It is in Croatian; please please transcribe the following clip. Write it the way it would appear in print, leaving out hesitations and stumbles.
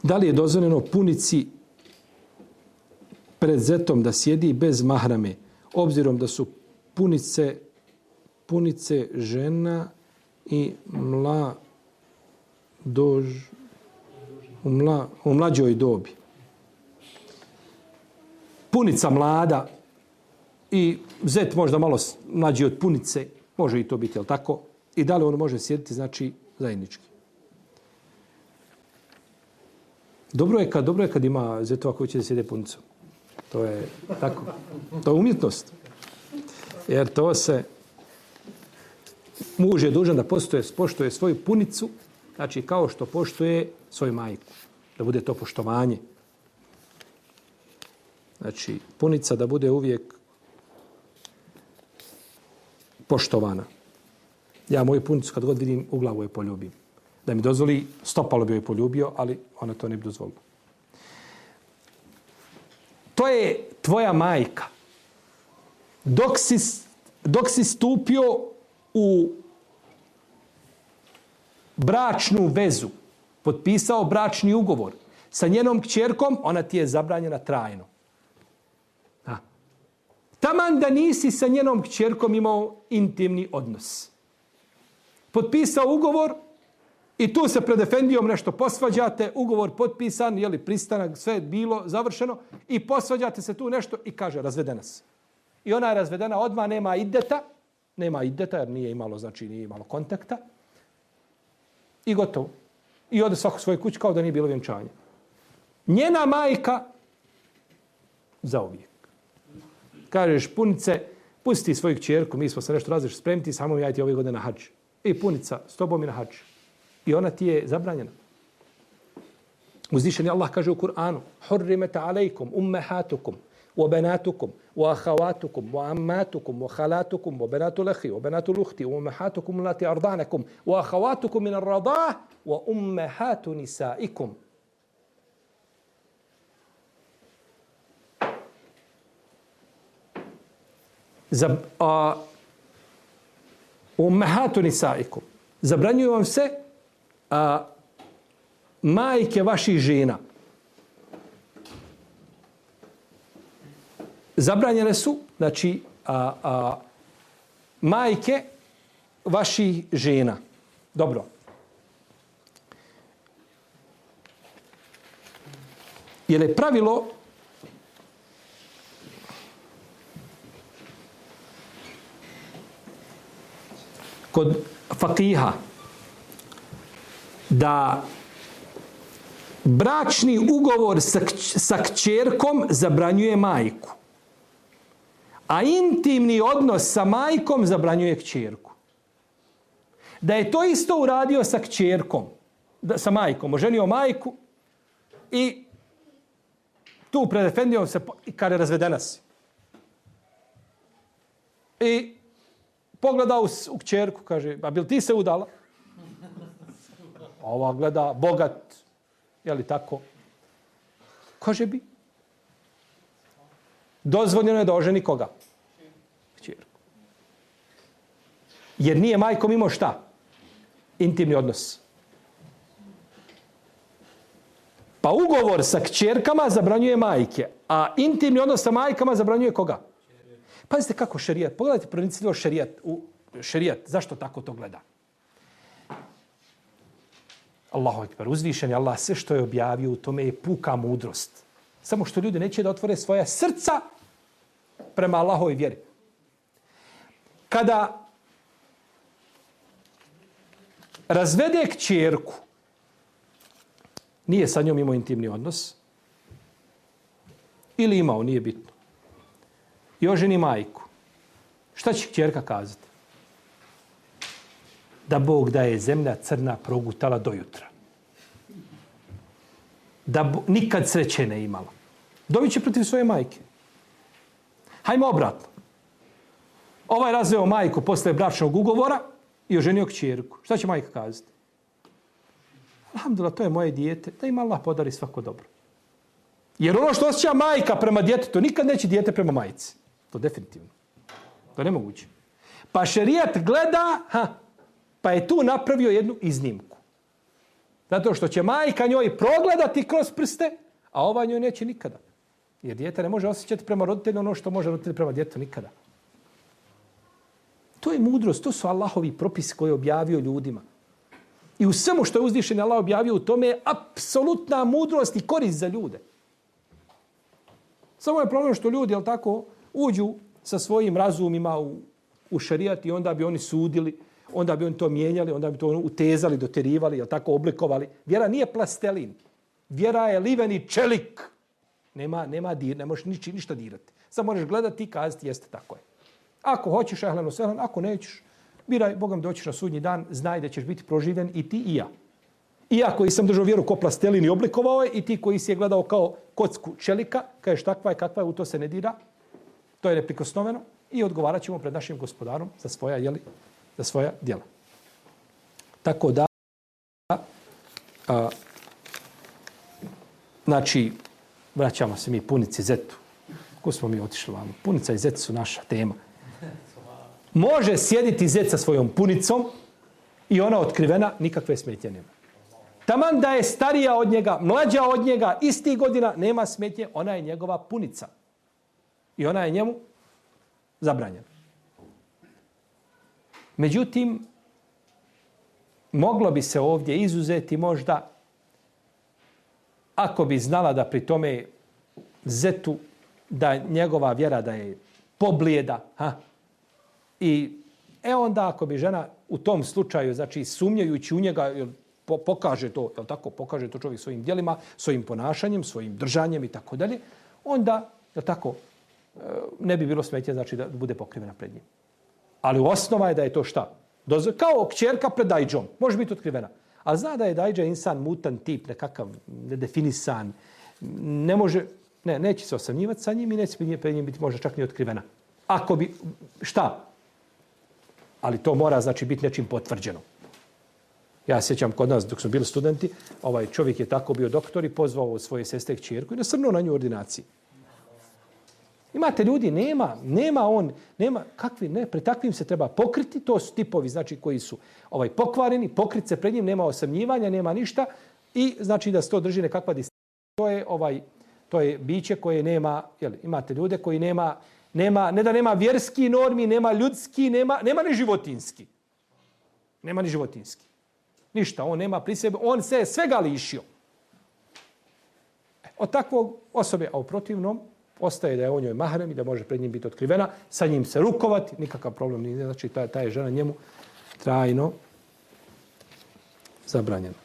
Da li je dozvoljeno punici pred zetom da sjedi bez mahrame, obzirom da su punice žena i u mlađoj dobi. Punica mlada i zet možda malo mlađi od punice, može i to biti, jel tako? I da li on može sjediti, znači, zajednički. Dobro je kad ima zetova koji će da sjede punicom. To je tako. To je umjetnost. Jer to se muž je dužan da poštuje svoju punicu, znači kao što poštuje svoju majku. Da bude to poštovanje. Znači, punica da bude uvijek poštovana. Ja moju punicu kad god vidim u glavu je poljubim. Da mi dozvoli, stopalo bi joj poljubio, ali ona to ne bi dozvolila. To je tvoja majka. Dok si stupio u bračnu vezu, potpisao bračni ugovor sa njenom kćerkom, ona ti je zabranjena trajno. Taman da nisi sa njenom kćerkom imao intimni odnos. Potpisao ugovor i tu se pred efendijom nešto posvađate, ugovor potpisan, jeli pristanak, sve je bilo završeno i posvađate se tu nešto i kaže razvedena se. I ona je razvedena odmah, nema ideta jer nije imalo kontakta i gotovo. I ode svako svoje kući kao da nije bilo vjenčanja. Njena majka zauvijek. Kažeš punice, pusti svoju kćerku, mi smo se nešto različiti spremiti, samo ja ti ove godine na hadž. I punica, s tobom i na hadž. I ona ti je zabranjena. Uzvišeni Allah kaže u Kur'anu: "Hurrimet alejkum ummahatukum wa banatukum wa akhawatukum wa ammatukum wa khalatukum wa banatul akhi wa banatul ukhti wa ummahatukum allati arda'nakum wa akhawatukum min ar-rada'ah wa ummahatu nisa'ikum." Ummahatu nisaikum. Zabranjuju vam se majke vaših žena. Zabranjene su, znači, majke vaših žena. Dobro. Jer je pravilo kod fakiha da bračni ugovor sa kćerkom zabranjuje majku, a intimni odnos sa majkom zabranjuje kćerku. Da je to isto uradio sa kćerkom, sa majkom, oženio majku i tu pred efendijom se kaže razvedena si. I pogledao u kćerku, kaže, a bil ti se udala? Ova gleda, bogat, je li tako? Kaže bi. Dozvoljeno je da oženi koga? Kćerku. Jer nije majkom imao šta? Intimni odnos. Pa ugovor sa kćerkama zabranjuje majke, a intimni odnos sa majkama zabranjuje koga? Pazite kako šerijat. Pogledajte pronicljivo šerijat. Zašto tako to gleda? Allahu ekber. Uzvišen je Allah. Sve što je objavio u tome je puka mudrost. Samo što ljudi neće da otvore svoja srca prema Allahovoj vjeri. Kada razvede kćerku, nije sa njom imao intimni odnos, ili imao, nije bitno, i oženi majku, šta će kćerka kazati? Da Bog da je zemlja crna progutala do jutra. Da nikad sreće ne imala. Dobit će protiv svoje majke. Hajmo obratno. Ovaj razveo majku posle bračnog ugovora i oženio kćerku. Šta će majka kazati? Alhamdulillah, to je moje dijete, da im Allah podari svako dobro. Jer ono što osjeća majka prema djetetu, nikad neće dijete prema majci. To definitivno. To je nemoguće. Pa šerijat gleda, pa je tu napravio jednu iznimku. Zato što će majka njoj progledati kroz prste, a ova njoj neće nikada. Jer dijete ne može osjećati prema roditelju ono što može roditelj prema djetetu nikada. To je mudrost, to su Allahovi propisi koje je objavio ljudima. I u svemu što je uzvišen Allah objavio u tome je apsolutna mudrost i korist za ljude. Samo je problem što ljudi, jel tako, uđu sa svojim razumima u šerijat i onda bi oni sudili, onda bi oni to mijenjali, onda bi to utezali, doterivali, jel tako, oblikovali. Vjera nije plastelin. Vjera je liveni čelik. Nema dir, ne možeš ništa dirati. Samo možeš gledati i kazati jeste tako je. Ako hoćeš, ehleno sehlen, ako nećeš, biraj, Bogam doćiš na sudnji dan, znaj da ćeš biti proživen i ti i ja. I ja koji sam držao vjeru ko plastelin i oblikovao je, i ti koji si je gledao kao kocku čelika, kažeš takva je, kakva je, u to se ne dira, to je neprikosnoveno i odgovarat ćemo pred našim gospodarom za svoja djela. Tako da, znači, vraćamo se mi punici zetu. Ko smo mi otišli vamo? Punica i zet su naša tema. Može sjediti zet sa svojom punicom i ona otkrivena, nikakve smetnje nema. Taman da je starija od njega, mlađa od njega, istih godina, nema smetnje, ona je njegova punica. I ona je njemu zabranjena. Međutim, moglo bi se ovdje izuzeti možda ako bi znala da pri tome zetu da njegova vjera da je poblijeda. I onda ako bi žena u tom slučaju, znači sumnjajući u njega, pokaže to, jel tako, pokaže to čovjek svojim djelima, svojim ponašanjem, svojim držanjem i tako dalje, onda, jel tako, ne bi bilo smetnje, znači da bude pokrivena pred njim. Ali osnova je da je to šta? Kao kćerka pred dajđom. Može biti otkrivena. Ali zna da je dajđa insan mutan tip, nekakav nedefinisan. Ne može, neće se osamnjivati sa njim i neće pred njim biti možda čak ni otkrivena. Ako bi, šta? Ali to mora, znači, biti nečim potvrđeno. Ja sjećam kod nas, dok smo bili studenti, ovaj čovjek je tako bio doktor i pozvao svoje sestre kćerku i nasrnuo na nju u ordinaciji. Imate ljudi, nema kakvi, ne, pred takvim se treba pokriti, to su tipovi, znači, koji su pokvareni, pokriti se pred njim, nema osamnjivanja, nema ništa i znači da se to drži nekakva distanca. To je biće koje nema, imate ljude koji nema, ne da nema vjerski normi, nema ljudski, nema ni životinski. Nema ni životinski. Ništa, on nema pri sebi, on se svega lišio. Od takvog osobe, a u protivnom, ostaje da je on njoj mahrem i da može pred njim biti otkrivena, sa njim se rukovati, nikakav problem nije, znači ta je žena njemu trajno zabranjena.